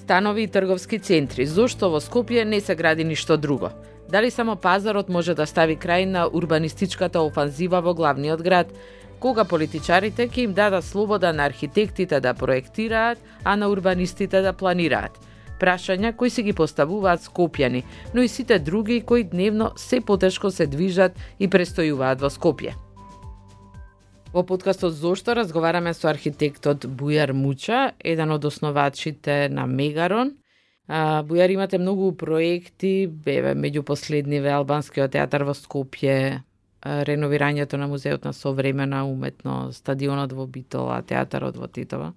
Станови и трговски центри. Зошто во Скопје не се гради ништо друго? Дали само пазарот може да стави крај на урбанистичката офанзива во главниот град? Кога политичарите ќе им дадат слобода на архитектите да проектираат, а на урбанистите да планираат? Прашања кои се ги поставуваат скопјани, но и сите други кои дневно се потешко се движат и престојуваат во Скопје. Во подкастот Зошто разговараме со архитектот Бујар Муча, еден од основачите на Мегарон. Бујар, имате многу проекти, беве меѓу последниве Албанскиот театар во Скопје, реновирањето на Музеот на современа уметност, стадионот во Битола, театарот во Титова.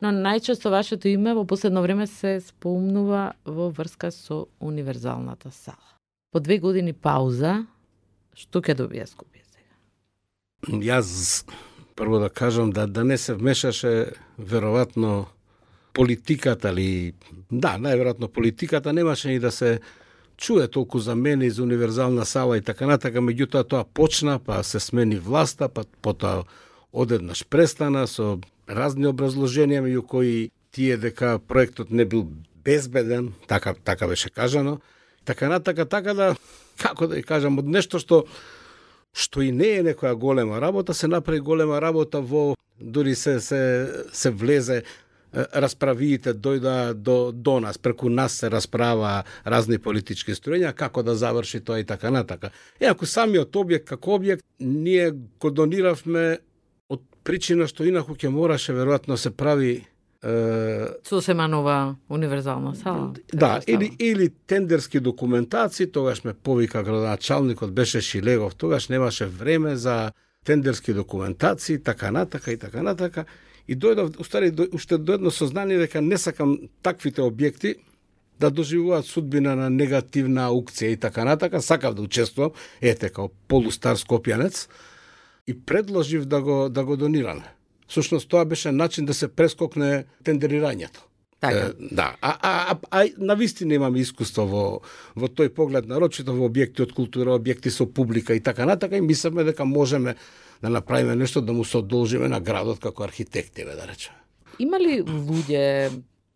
Но најчесто вашето име во последно време се спомнува во врска со универзалната сала. По 2 години пауза, што ќе добие Скопје сега? Јас прво да кажам да не се вмешаше веројатно политиката или најверојатно политиката немаше ни да се чуе толку за мене и за универзална сала и така натака, меѓутоа тоа почна, па се смени власта, па потоа одеднаш престана со разни образложенија меѓу кои тие дека проектот не бил безбеден, така беше кажано, така натака, така да, како да ја кажам, од нешто што и не е некоја голема работа, се направи голема работа во, дури се влезе, расправиите дојда до нас, преку нас се расправа разни политички струјања, како да заврши тоа и така натака. Ако самиот објект, како објект, ние го дониравме од причина што инаку ќе мораше веројатно се прави сосема нова универзална сала. Да, или тендерски документации, тогаш ме повика градоначалникот, беше Шилегов, тогаш немаше време за тендерски документации, така натака. И дојдов, уште до едно сознание дека не сакам таквите објекти да доживуваат судбина на негативна аукција и така натака, сакав да учествувам, као полустар скопјанец, и предложив да го донираме. Всушност тоа беше начин да се прескокне тендерирањето. Така. Да, на вистина имаме искуство во тој поглед, нарочито во објекти од култура, објекти со публика и така натака, и мислиме дека можеме да направиме нешто да му се одолжиме на градот како архитекти, да речеме. Има ли луѓе,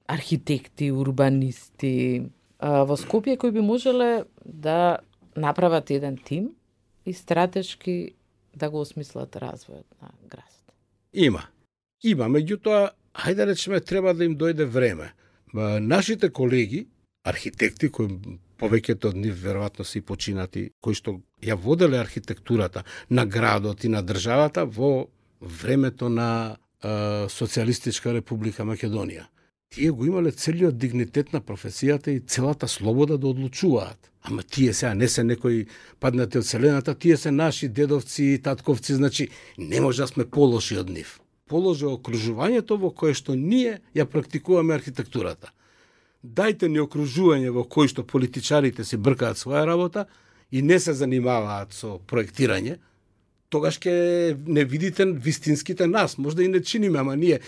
архитекти, урбанисти во Скопје кои би можеле да направат еден тим и стратешки да го осмислат развојот на градот? Има, меѓутоа, хајде речеме, треба да им дојде време. Нашите колеги, архитекти, кои повеќето од нив веројатно се и починати, кои што ја воделе архитектурата на градот и на државата во времето на Социјалистичка република Македонија. Тие го имале целиот дигнитет на професијата и целата слобода да одлучуваат. Ама тие сега не се некои паднати од вселената, тие се наши дедовци и татковци, значи не може да сме полоши од нив. Положи окружувањето во кое што ние ја практикуваме архитектурата. Дајте ни окружување во кој што политичарите си бркаат своја работа и не се занимаваат со проектирање, тогаш ќе не видите вистинските нас. Може да и не чиниме, ама ние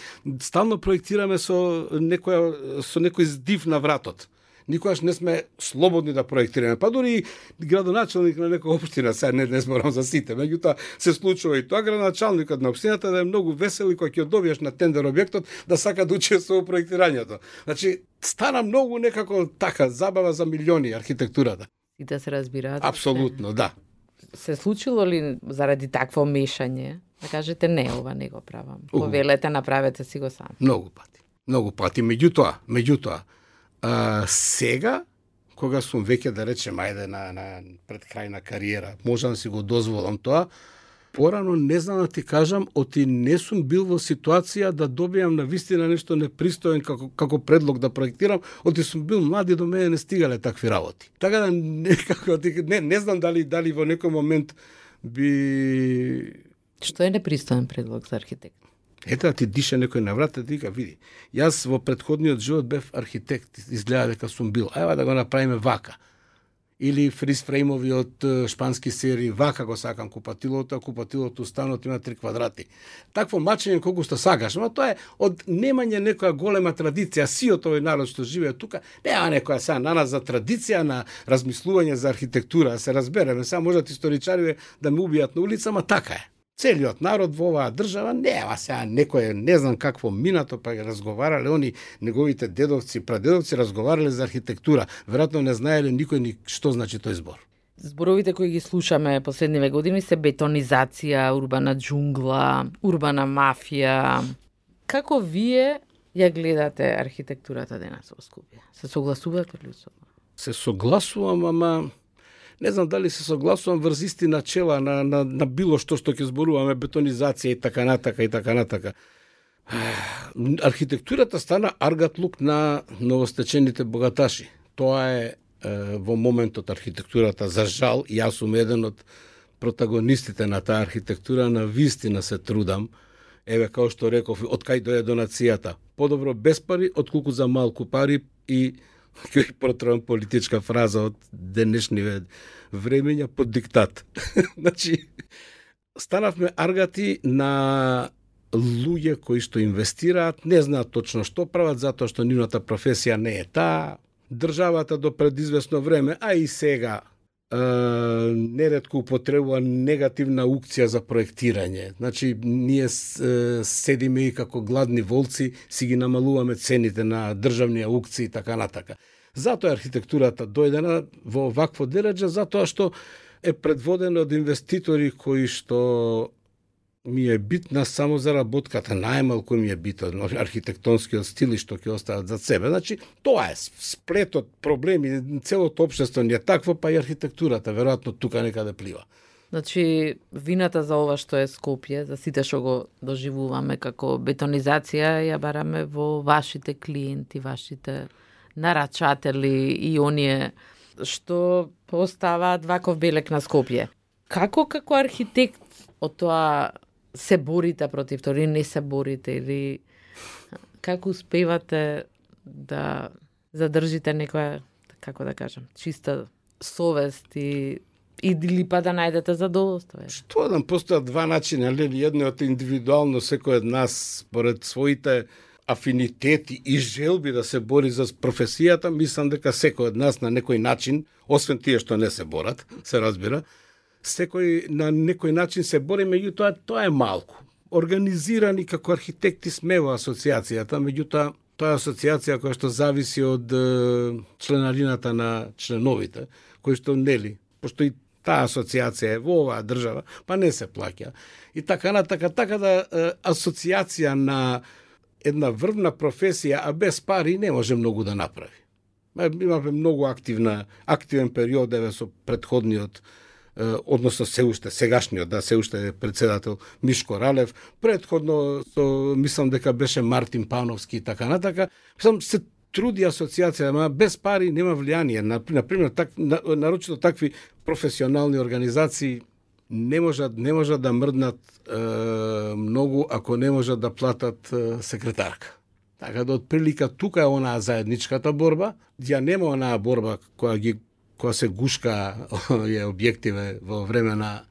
стално проектираме со некој здив на вратот. Никогаш не сме слободни да проектираме. Па дури градоначалник на некоја општина, сега не зборам за сите, меѓутоа се случува и тоа, градоначалникот на општината да е многу весел и кога ќе добиеш на тендер објектот да сака да учествува во проектирањето. Значи, стана многу некако така забава за милиони архитектурата. И да се разбираат. Апсолутно, да. Се случило ли заради такво мешање да кажете не, ова не го правам? Повелете, направете си го сам. Многу пати. Меѓутоа, сега, кога сум веќе, да речем, ајде на пред крај на кариера, можам да си го дозволам тоа, порано не знам да ти кажам, оти не сум бил во ситуација да добијам на вистина нешто непристоен како предлог да проектирам, оти сум бил млад и до мене не стигале такви работи. Така да некако, не знам дали во некој момент би... Што е непристоен предлог за архитект? Ето да ти дише некој на врата, ти вика, види, јас во претходниот живот бев архитект, изгледа дека сум бил, ајва да го направиме вака. Или фризфреймови од шпански серии, вака го сакам купатилото, а купатилото станот има 3 квадрати. Такво мачење колку што сакаш, но тоа е од немање некоја голема традиција, сиот овој народ што живее тука, нема некоја сега на нас за традиција на размислување за архитектура, се разбереме, сега можат историчари да ме убијат на улица, ама така е. Целиот народ во оваа држава нема сега некој не знам какво минато, па разговарале они неговите дедовци, прадедовци разговарале за архитектура. Веројатно не знаеле никој ни што значи тој збор. Зборовите кои ги слушаме последниве години се бетонизација, урбана џунгла, урбана мафија. Како вие ја гледате архитектурата денес во Скопје? Се согласувате ли со? Се согласувам, ама не знам дали се согласувам врз исти начела на било што ќе зборуваме, бетонизација и така натака. Архитектурата стана аргатлук на новостечените богаташи. Тоа е во моментот архитектурата, за жал, јас сум еден од протагонистите на таа архитектура, на вистина се трудам. Еве, као што реков, од кај дојде донацијата. Подобро без пари, отколку за малку пари, и ќе протрувам политичка фраза од денешниве времења под диктат. Значи, станавме аргати на луѓе кои што инвестираат, не знаат точно што прават, затоа што нивната професија не е таа. Државата до пред известно време, а и сега, неретко употребува негативна аукција за проектирање. Значи, ние седиме и како гладни волци, си ги намалуваме цените на државни аукции и така натака. Затоа архитектурата дојдена во вакво дереџа, затоа што е предводена од инвеститори кои што ми е битна само за работката, најмалку ми е битен архитектонскиот стил и што ќе остават за себе. Значи, тоа е сплетот проблеми, целото општество не е такво, па и архитектурата веројатно тука некаде плива. Значи, вината за ова што е Скопје, за сите што го доживуваме како бетонизација, ја бараме во вашите клиенти, вашите нарачатели и оние што поставаат ваков белек на Скопје. Како архитект од тоа се борите против тоа, или не се борите, или како успевате да задржите некоја, како да кажам, чиста совест и или па да најдете задоволство? Што да постојат два начина, едниот индивидуално секој од нас според своите афинитети и желби да се бори за професијата, мислам дека секој од нас на некој начин, освен тие што не се борат, се разбира, секој на некој начин се бори, меѓутоа тоа е малку. Организирани како архитекти сме во асоциацијата, меѓутоа тоа е асоциација која што зависи од членарината на членовите, кои што нели, пошто и таа асоциација е во оваа држава, па не се плаќа. И така да асоциација на една врвна професија, а без пари не може многу да направи. Имаме многу активен период еве со претходниот, односно се уште сегашниот, се уште председател Мишко Ралев, претходно мислам дека беше Мартин Пановски и така натака. Мислам се труди асоциација, ама без пари нема влијание. Например, нарочито такви професионални организации не можат да мрднат многу ако не можат да платат секретарка. Така да отприлика тука е онаа заедничката борба, ја нема онаа борба која се гушка е објективе во време на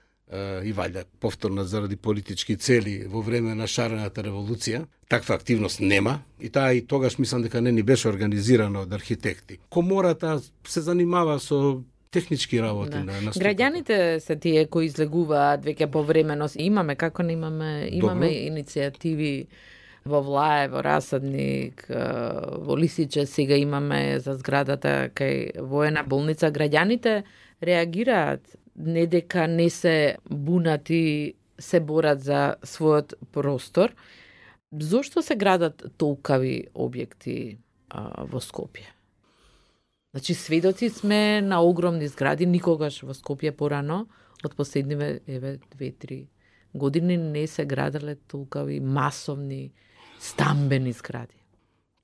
и ваljda повторно заради политички цели во време на шарената револуција. Таква активност нема и таа и тогаш мислам дека не ни беше организирана од архитекти. Комората се занимава со технички работи на структура. Граѓаните се тие кои излегуваат веќе повремено. Имаме имаме иницијативи во Влај, во Расадник, во Лисиче, сега имаме за зградата кај воена болница. Граѓаните реагираат, не дека не се бунати, се борат за својот простор. Зошто се градат толкави објекти во Скопје? Значи, сведоци сме на огромни згради, никогаш во Скопје порано, од последниве 2-3 години не се градале толкави масовни стамбени згради.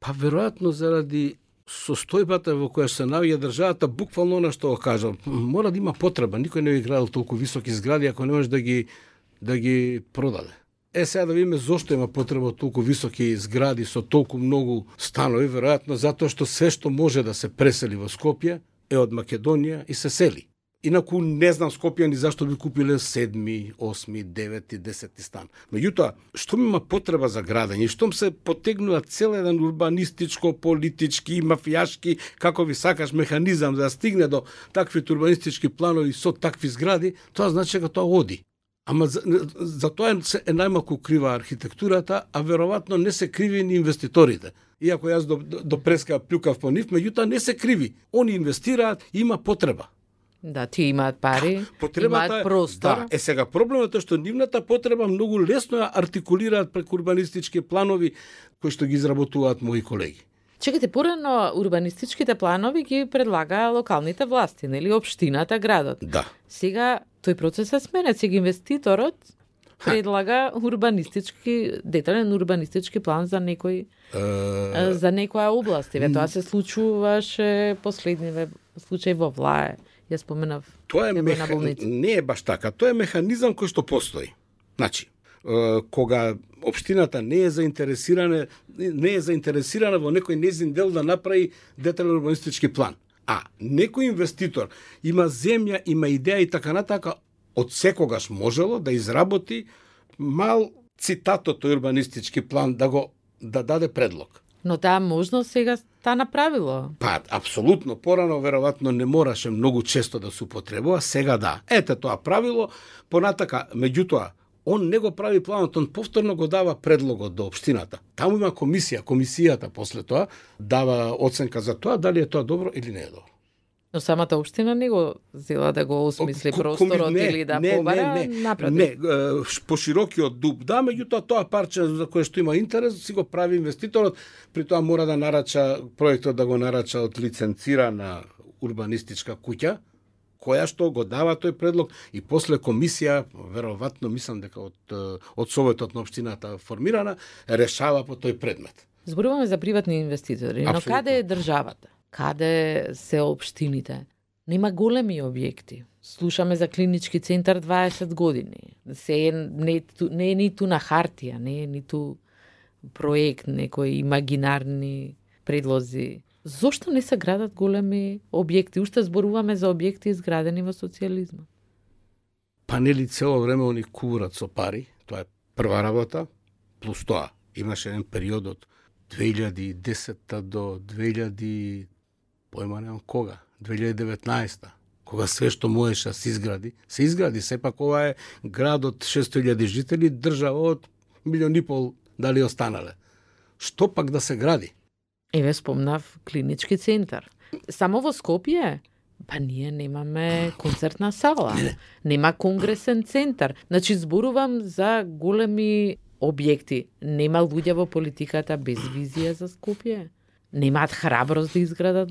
Па веројатно заради состојбата во која се наоѓа државата, буквално она што го кажам, мора да има потреба. Никој не би градил толку високи згради ако не може да ги продаде. Сега да видиме зошто има потреба од толку високи згради со толку многу станови, веројатно затоа што се што може да се пресели во Скопје е од Македонија и се сели. Инаку не знам Скопјани зашто би купиле 7, 8, 9 и 10 стан. Меѓутоа, штом има потреба за градење, штом се потегнува цел еден урбанистичко, политички, мафијашки, како ви сакаш механизам да стигне до такви урбанистички планови со такви згради, тоа значи дека тоа оди. Ама за тоа е најмалку крива архитектурата, а веројатно не се криви ни инвеститорите. Иако јас до преска плюкав по нив, меѓутоа не се криви. Они инвестираат, има потреба. Да, ти имаат пари, имаат простор. Да, сега проблемот е што нивната потреба многу лесно ја артикулираат преку урбанистички планови кои што ги изработуваат мои колеги. Чекайте, порано урбанистичките планови ги предлага локалните власти, нели, општината, градот. Да. Сега тој процес се сменет, сега инвеститорот предлага детален урбанистички план за некој за некоја област. Тоа се случуваше последниве случаи во Влае. Јас споменав. Тоа не е баш така. Тоа е механизам кој што постои. Значи, кога општината не е заинтересирана во некој нејзин дел да направи детален урбанистички план, а некој инвеститор има земја, има идеја и така натака, од секогаш можело да изработи мал цитатот урбанистички план да даде предлог. Но таа можност сега та направило. Па, апсолутно. Порано, веројатно, не мораше многу често да се употребува, сега да. Ете тоа правило, понатака, меѓутоа, он не го прави планот, он повторно го дава предлогот до општината. Таму има комисијата после тоа дава оценка за тоа, дали е тоа добро или не е добро. Но самата општина не го зела да го осмисли просторот или да побара напротив. Не, по широкиот дуб, да, меѓутоа тоа парче за кое што има интерес, си го прави инвеститорот, при тоа мора да нарача, проектот да го нарача од лиценцирана урбанистичка куќа, која што го дава тој предлог и после комисија, веројатно мислам дека од Советот на општината формирана, решава по тој предмет. Зборуваме за приватни инвеститори, но каде е државата? Каде се општините? Нема големи објекти. Слушаме за клинички центар 20 години. Не е ниту на хартија, не е ниту проект, некои имагинарни предлози. Зошто не се градат големи објекти? Уште зборуваме за објекти изградени во социјализмот. Па нели цело време они куврат со пари, тоа е прва работа, плюс тоа имаше еден период од 2010 до 2019, кога све што можеше да се изгради, сепак ова е град од 600.000 жители, држава од 1,5 милион дали останале. Што пак да се гради? Еве спомнав клинички центар. Само во Скопје, па ние немаме концертна сала, нема конгресен центар. Значи зборувам за големи објекти. Нема луѓе во политиката без визија за Скопје. Немаат храброст да изградат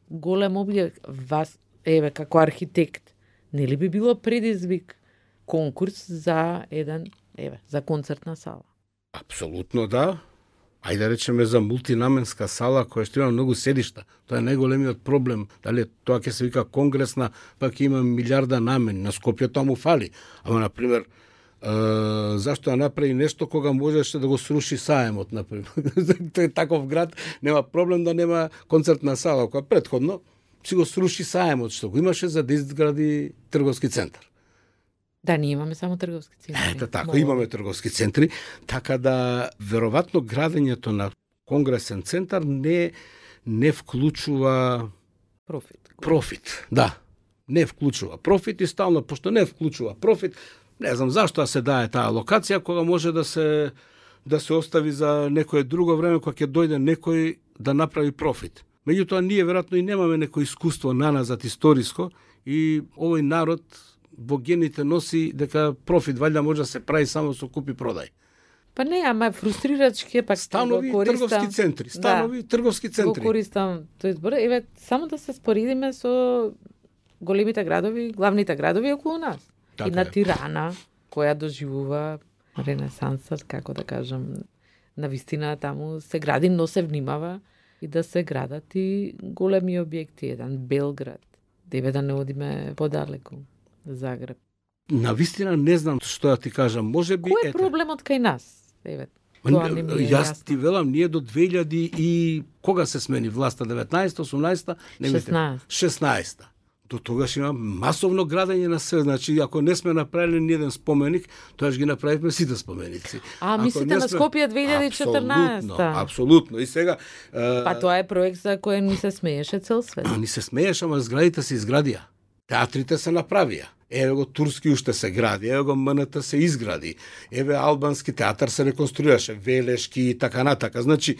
голем објект. Вас, еве, како архитект, нели би било предизвик конкурс за за концертна сала? Апсолутно да. Ајде да речеме за мултинаменска сала која што има многу седишта. Тоа е најголемиот проблем. Дали тоа ќе се вика конгресна, пак има милиарда намени. На Скопје тоа му фали. Ама, например, зашто да направи нешто кога можеше да го сруши Саемот, например. Тој е таков град, нема проблем да нема концертна сала, која претходно си го сруши Саемот, што го имаше за да изгради трговски центар. Да, ние имаме само трговски центри. Ето така, имаме трговски центри, така да веројатно градењето на конгресен центар не вклучува профит. Да, не вклучува профит и стално, пошто не вклучува профит, не знам зашто се дае таа локација кога може да се остави за некое друго време кога ќе дојде некој да направи профит. Меѓутоа ние веројатно и немаме некој искуство наназад историско и овој народ во гените носи дека профит валјда може да се прави само со купи продај. Па не, ама фрустрирачки е пак станови трговски центри, трговски центри. Го користам тој збор, еве само да се споредиме со големите градови, главните градови околу нас. Така и на Тирана, која доживува ренесансот, како да кажам, на вистина таму се гради, но се внимава и да се градат и големи објекти, еден Белград, деве да не одиме подалеку. Загреб. На вистина не знам што да ти кажам, можеби кој е проблемот кај нас? Еве, тоа не ми е јас ти велам, ние до 2000 и кога се смени власта, 19-та, 18-та, 16-та. До тогаш има масовно градење на све, значи ако не сме направиле ни еден споменик, тоаш ги направивме сите споменици. Мислите на Скопје 2014-та? Апсолутно. И сега па тоа е проект за кој ни се смееше цел свет. Ни се смееше, ама зградите се изградија. Театрите се направија. Еве го турски уште се гради, еве го МНТ се изгради, еве албански театар се реконструираше, Велешки и така натака. Значи,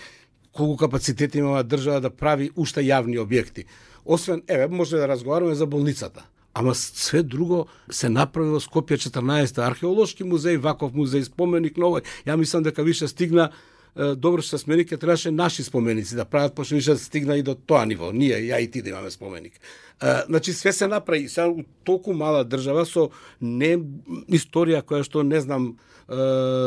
колку капацитет има држава да прави уште јавни објекти. Освен, еве, може да разговараме за болницата. Ама све друго се направи во Скопје 14, археолошки музеј, ваков музеј, споменик новој. Ја мислам дека више стигна, добро што споменик, ќе требаше наши споменици да прават, пошто више стигна и до тоа ниво. Ние, ја и ти да имаме споменик. Значи, све се направи. Сега, у толку мала држава со не историја која што, не знам,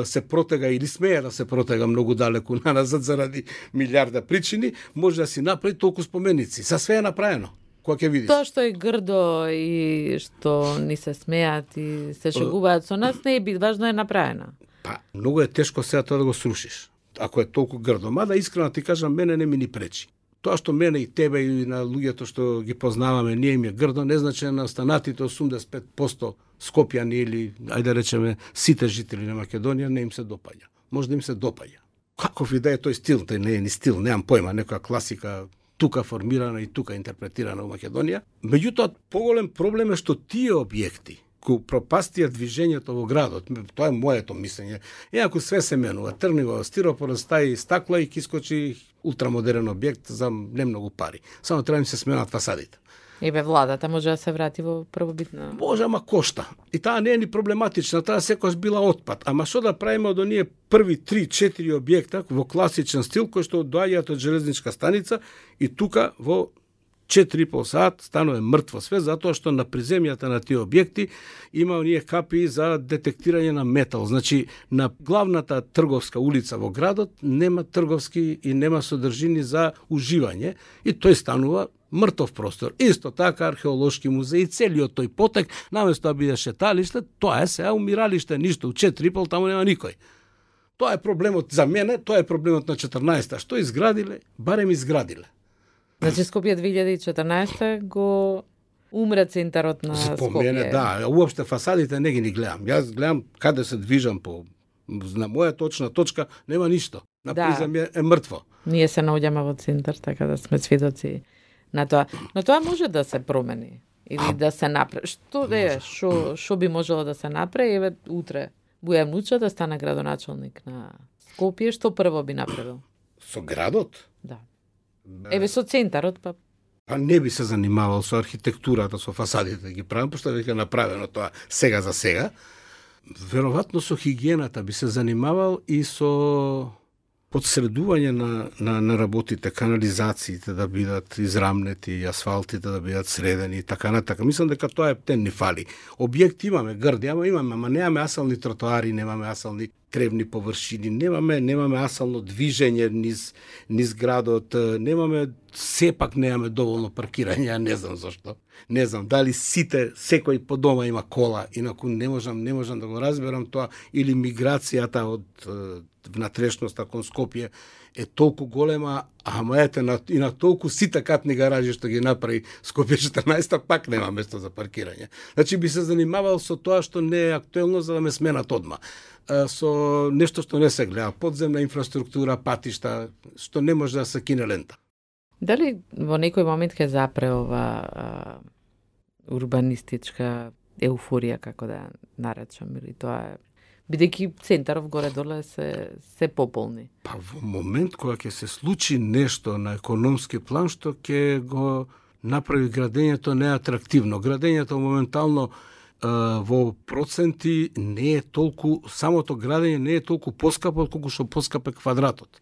се протега или смее да се протега многу далеку назад заради милиарда причини, може да си направи толку споменици. Са све е направено. Која ќе видиш? Тоа што е грдо и што ни се смеат и се шегуваат со нас, не е бит, важно е направено. Па, многу е тешко сега тоа да го срушиш. Ако е толку грдо. Мада искрено ти кажам, мене не ми ни пречи. Тоа што мене и тебе и на луѓето што ги познаваме, ние им е грдо, не значи на останатите 85% Скопјани или, ајде да речеме, сите жители на Македонија не им се допаѓа. Може да им се допаѓа. Каков и да е тој стил, тој не е ни стил, немам појма, некоја класика тука формирана и тука интерпретирана во Македонија. Меѓутоа, поголем проблем е што тие објекти кои пропастија движењето во градот, тоа е моето мислење. Ако све се менува, трнива, стиропор, стаи, стакла и ки скочи ултрамодерен објект за немногу пари. Само треба да се сменат фасадите. Еве владата може да се врати во првобитна. Може, ама кошта. И таа не е ни проблематична, таа секогаш била отпад. Ама што да правиме од оние први 3-4 објекта во класичен стил кои што доаѓаат од железничка станица и тука во 4,5 сат станува мртво све, затоа што на приземјата на тие објекти има оние капи за детектирање на метал. Значи, на главната трговска улица во градот нема трговски и нема содржини за уживање и тој станува мртов простор. Исто така археолошки музеи, целиот тој потек, наместо да биде шеталиште, тоа е сега умиралиште, ништо, у 4,5 таму нема никој. Тоа е проблемот за мене, тоа е проблемот на 14-та. Што изградиле? Барем изградиле. Значи Скопје 2014 го умре центарот на Скопје. Спомене, да, уопште фасадите не ги ни гледам. Јас гледам каде се движам по на моја точна точка, нема ништо. На призем е мртво. Ние се наоѓаме во центар, така да сме сведоци на тоа. Но тоа може да се промени или да се направи. Што е, што би можело да се направи? Еве утре Бујан Муча да стане градоначалник на Скопје, што прво би направил? Со градот? Да. Еве со центарот, па не би се занимавал со архитектурата, со фасадите ги правам, пошто веќе е направено тоа сега за сега. Веројатно со хигиената би се занимавал и со подсредување на работите, канализациите да бидат израмнети, асфалтите да бидат средени и така натака. Мислам дека тоа е тен ни фали. Објекти имаме, грди, ама немаме асални тротоари, немаме асални тревни површини, немаме асално движење низ градот, сепак немаме доволно паркирање, не знам зашто. Не знам дали секој по дома има кола, инаку не можам да го разберам тоа, или миграцијата од внатрешноста кон Скопје е толку голема, ама ете и на толку сите катни гаражи што ги направи Скопје 14, пак нема место за паркирање. Значи би се занимавал со тоа што не е актуелно за да ме сменат одма. Со нешто што не се гледа, подземна инфраструктура, патишта, што не може да се кине лента. Дали во некој момент ќе запре ова урбанистичка еуфорија, како да наречам, или тоа е бидејќи центаров горе-доле се пополни? Па во момент кога ќе се случи нешто на економски план што ќе го направи градењето неатрактивно. Градењето моментално во проценти не е толку, самото градење не е толку поскапо колку што поскап е квадратот.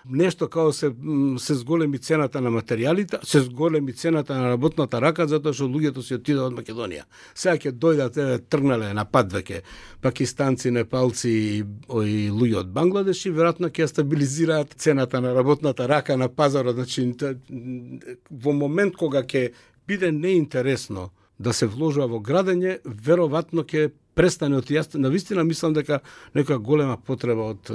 Нешто као се зголеми цената на материјалите, се зголеми цената на работната рака, затоа што луѓето си отидат од Македонија. Сега ќе дојдат, тргнале на пат веќе пакистанци, непалци и луѓе од Бангладеш и веројатно ќе стабилизираат цената на работната рака на пазарот. Значи, во момент кога ќе биде неинтересно да се вложува во градење, веројатно ќе престане од јас. Навистина мислам дека нека голема потреба од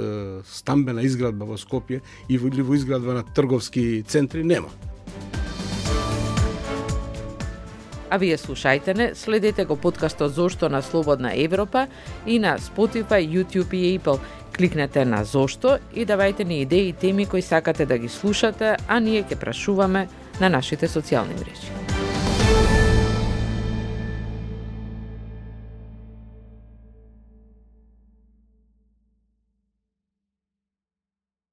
стамбена изградба во Скопје или во изградба на трговски центри нема. А вие слушајте не, следете го подкастот Зошто на Слободна Европа и на Spotify, YouTube и Apple. Кликнете на Зошто и давајте ни идеи и теми кои сакате да ги слушате, а ние ќе прашуваме на нашите социјални мрежи.